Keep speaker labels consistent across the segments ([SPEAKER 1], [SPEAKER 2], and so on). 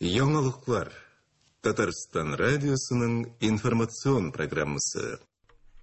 [SPEAKER 1] Яңалыклар. Татарстан радиосының информацион программасы.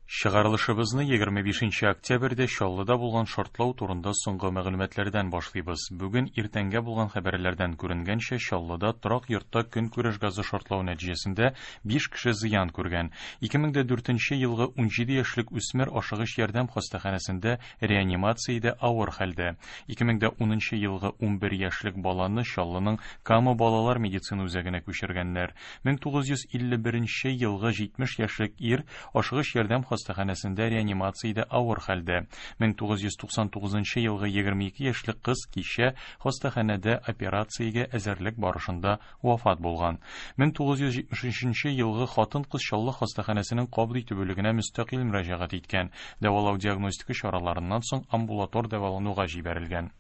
[SPEAKER 2] Чыгарылышыбызны 25 октябрьдә Чаллыда булган шартлау турында соңгы мәгълүматлардан башлыйбыз. Бүген иртәнгә булган хәбәрләрдән күренгәнчә, Чаллыда торак йортта көнкүреш газы шартлау нәтиҗәсендә 5 кеше зыян күргән. 2004 елгы 17 яшьлек үсмер ашыгыч ярдәм хастаханәсендә реанимациядә авыр хәлдә. 2010 елгы 11 яшьлек баланы Чаллының Кама балалар медицина үзәгенә күчергәннәр. 1951 елгы 70 яшьлек ир ашыгыч ярдәм хастаханәсендә реанимациядә авыр хәлдә. 1999 елгы 22 яшьлек кыз кичә хастаханәдә операциягә әзерлек барышында вафат булган. 1973 елгы хатын-кыз Чаллы хастаханәсенең кабул итү бүлегенә мөстәкыйль мөрәҗәгать иткән. Дәвалау-диагностика чараларыннан соң амбулатор дәвалануга җибәрелгән.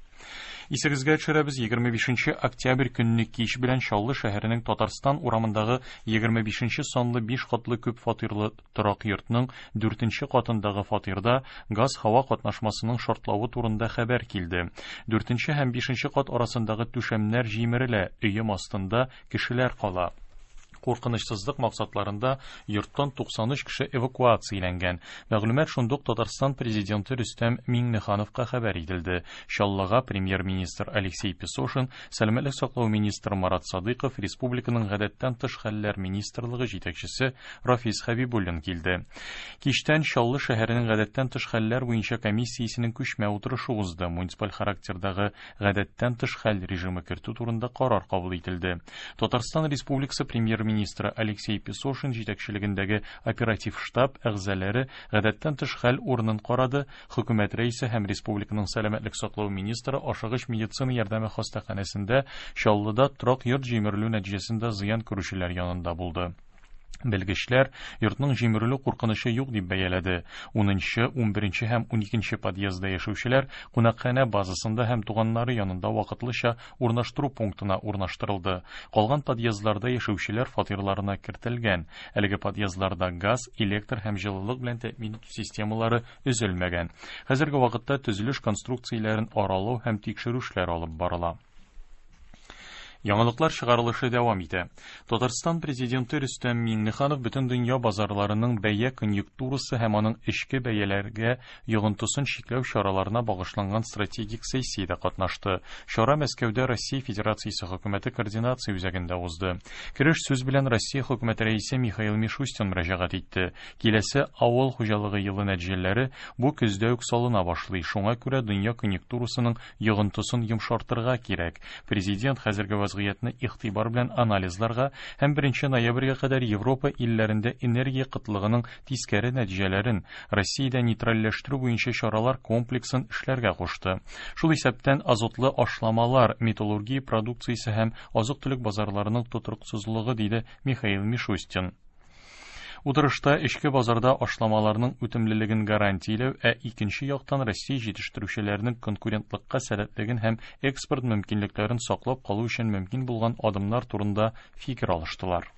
[SPEAKER 2] Исегезгә төшерәбез, 25 октябрь көнне кич белән Чаллы шәһәренең Татарстан урамындагы 25 санлы 5 катлы күп фатирлы торак йортның 4 катындагы фатирда газ-һава катнашмасының шартлавы турында хәбәр килде. 4 һәм 5 кат арасындагы түшәмнәр җимерелә, өем астында кешеләр кала. Куркынычсызлык максатларында йорттан 93 кеше эвакуацияләнгән. Мәгълүмат шундук Татарстан президенты Рөстәм Миңнехановка хәбәр ителде. Чаллыга премьер-министр Алексей Песошин, сәламәтлек саклау министры Марат Садыйков, республиканың гадәттән тыш хәлләр министрлыгы җитәкчесе Рафис Хәбибуллин килде. Кичтән Чаллы шәһәренең гадәттән тыш хәлләр буенча комиссиясенең күчмә утырышы узды. Муниципаль характердагы гадәттән тыш хәл режимы кертү турында карар кабул ителде. Татарстан Республикасы премьер-министры Алексей Песошин җитәкчелегендәге оператив штаб әгъзалары гадәттән тыш хәл урынын карады. Хөкүмәт рәисе һәм республиканың сәламәтлек саклау министры ашыгыч медицина ярдәме хастаханәсендә Чаллыда торак йорт җимерелү нәтиҗәсендә зыян күрүчеләр янында булды. Белгечләр йортның җимерелү куркынычы юк дип бәяләде. 10-нчы, 11-нче һәм 12-нче подъездда яшәүчеләр кунакханә базасында һәм туганнары янында вакытлыча урнаштыру пунктына урнаштырылды. Калган подъездларда яшәүчеләр фатирларына кертелгән. Әлеге подъездларда газ, электр һәм җылылык белән тәэмин итү системалары өзелмәгән. Хәзерге вакытта төзелеш конструкцияләрен аралау һәм тикшерү эшләре алып барыла. Яңалыклар чыгарылышы дәвам итә. Татарстан президенты Рөстәм Миңнеханов бөтен дөнья базарларының бәя конъюнктурасы һәм аның эчке бәяләргә йогынтысын чикләү чараларына багышланган стратегик сессиядә катнашты. Чара Мәскәүдә Россия Федерациясе хөкүмәте координация үзәгендә узды. Кереш сүз белән Россия хөкүмәте рәисе Михаил Мишустин мөрәҗәгать итте. Киләсе авыл хуҗалыгы елы нәтиҗәләре бу көздә үк салына башлый. Шуңа күрә дөнья конъюнктурасының йогынтысын йомшартырга кирәк. Президент хәзерге вазгыятьне игътибар белән анализларга һәм 1 ноябрьгә кадәр Европа илләрендә энергия кытлыгының тискәре нәтиҗәләрен Россиядә нейтральләштерү буенча чаралар комплексын эшләргә кушты. Шул исәптән азотлы ашламалар, металлургия продукциясе һәм азык-төлек базарларының тотрыксызлыгы, диде Михаил Мишустин. Утырышта эчке базарда ашламаларның үтемлелеген гарантияләү, ә икенче яктан Россия җитештерүчеләренең конкурентлыкка сәләтлеген һәм экспорт мөмкинлекләрен саклап калу өчен мөмкин булган адымнар турында фикер алыштылар.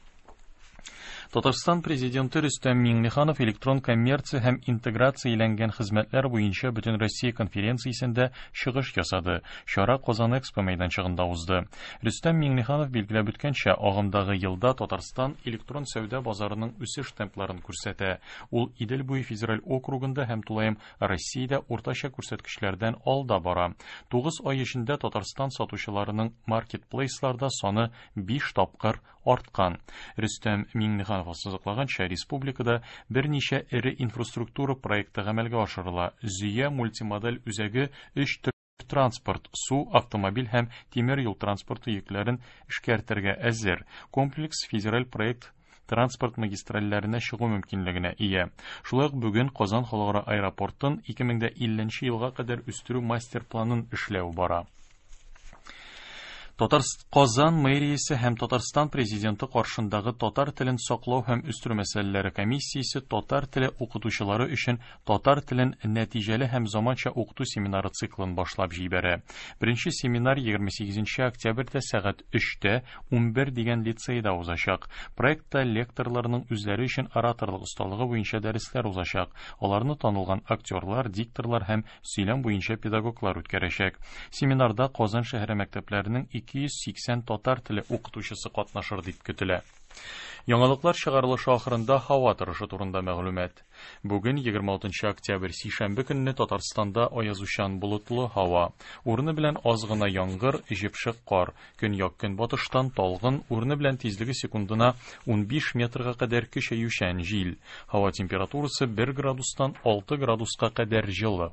[SPEAKER 2] Татарстан президенты Рөстәм Миңнеханов электрон коммерция һәм интеграцияләнгән хезмәтләр буенча Бөтенроссия конференциясендә чыгыш ясады. Чара Казан Экспо мәйданчыгында узды. Рөстәм Миңнеханов билгеләп үткәнчә, агымдагы елда Татарстан электрон сәүдә базарының үсеш темпларын күрсәтә. Ул Идел буе федераль округында һәм тулаем Россиядә уртача күрсәткечләрдән алда бара. 9 ай эчендә Татарстан сатучыларының маркетплейсларда саны 5 тапкыр арткан. Рөстәм Миңнеханов ассызыклаганча, республикада берничә эре инфраструктура проекты гамәлгә ашырыла. Зөя мультимодаль үзәге 3 төр транспорт, су, автомобиль һәм тимер юл транспорты йөкләрен эшкәртергә әзер. Комплекс федераль проект транспорт магистральләренә чыгу мөмкинлегенә ия. Шулай ук бүген Казан халыкара аэропортын 2050 елга кадәр үстерү мастер-планын эшләү бара. Казан мэриясе һәм Татарстан президенты каршындагы татар телен саклау һәм үстерү мәсьәләләре комиссиясе татар теле укытучылары өчен татар телен нәтиҗәле һәм заманча укыту семинары циклын башлап җибәрә. Беренче семинар 28 октябрьдә сәгать 3-тә 11 дигән лицейда узачак. Проектта лекторларның үзләре өчен ораторлык осталыгы буенча дәресләр узачак. Аларны танылган актерлар, дикторлар һәм сөйләм буенча педагоглар үткәрәчәк. Семинарда Казан шәһәре мәктәпләренең 280 татар теле укытучысы катнашыр дип көтелә. Яңалыклар чыгарылышы ахырында һава торышы турында мәгълүмат. Бүген 26 октябрь сишәмбе көнне Татарстанда аязучан болытлы һава. Урыны белән аз гына яңгыр, җепшек кар. Көньяк-көнбатыштан талгын, урыны белән тизлеге секундына 15 метрга кадәр көчәючән җил. Һава температурасы 1 градустан 6 градуска кадәр җылы.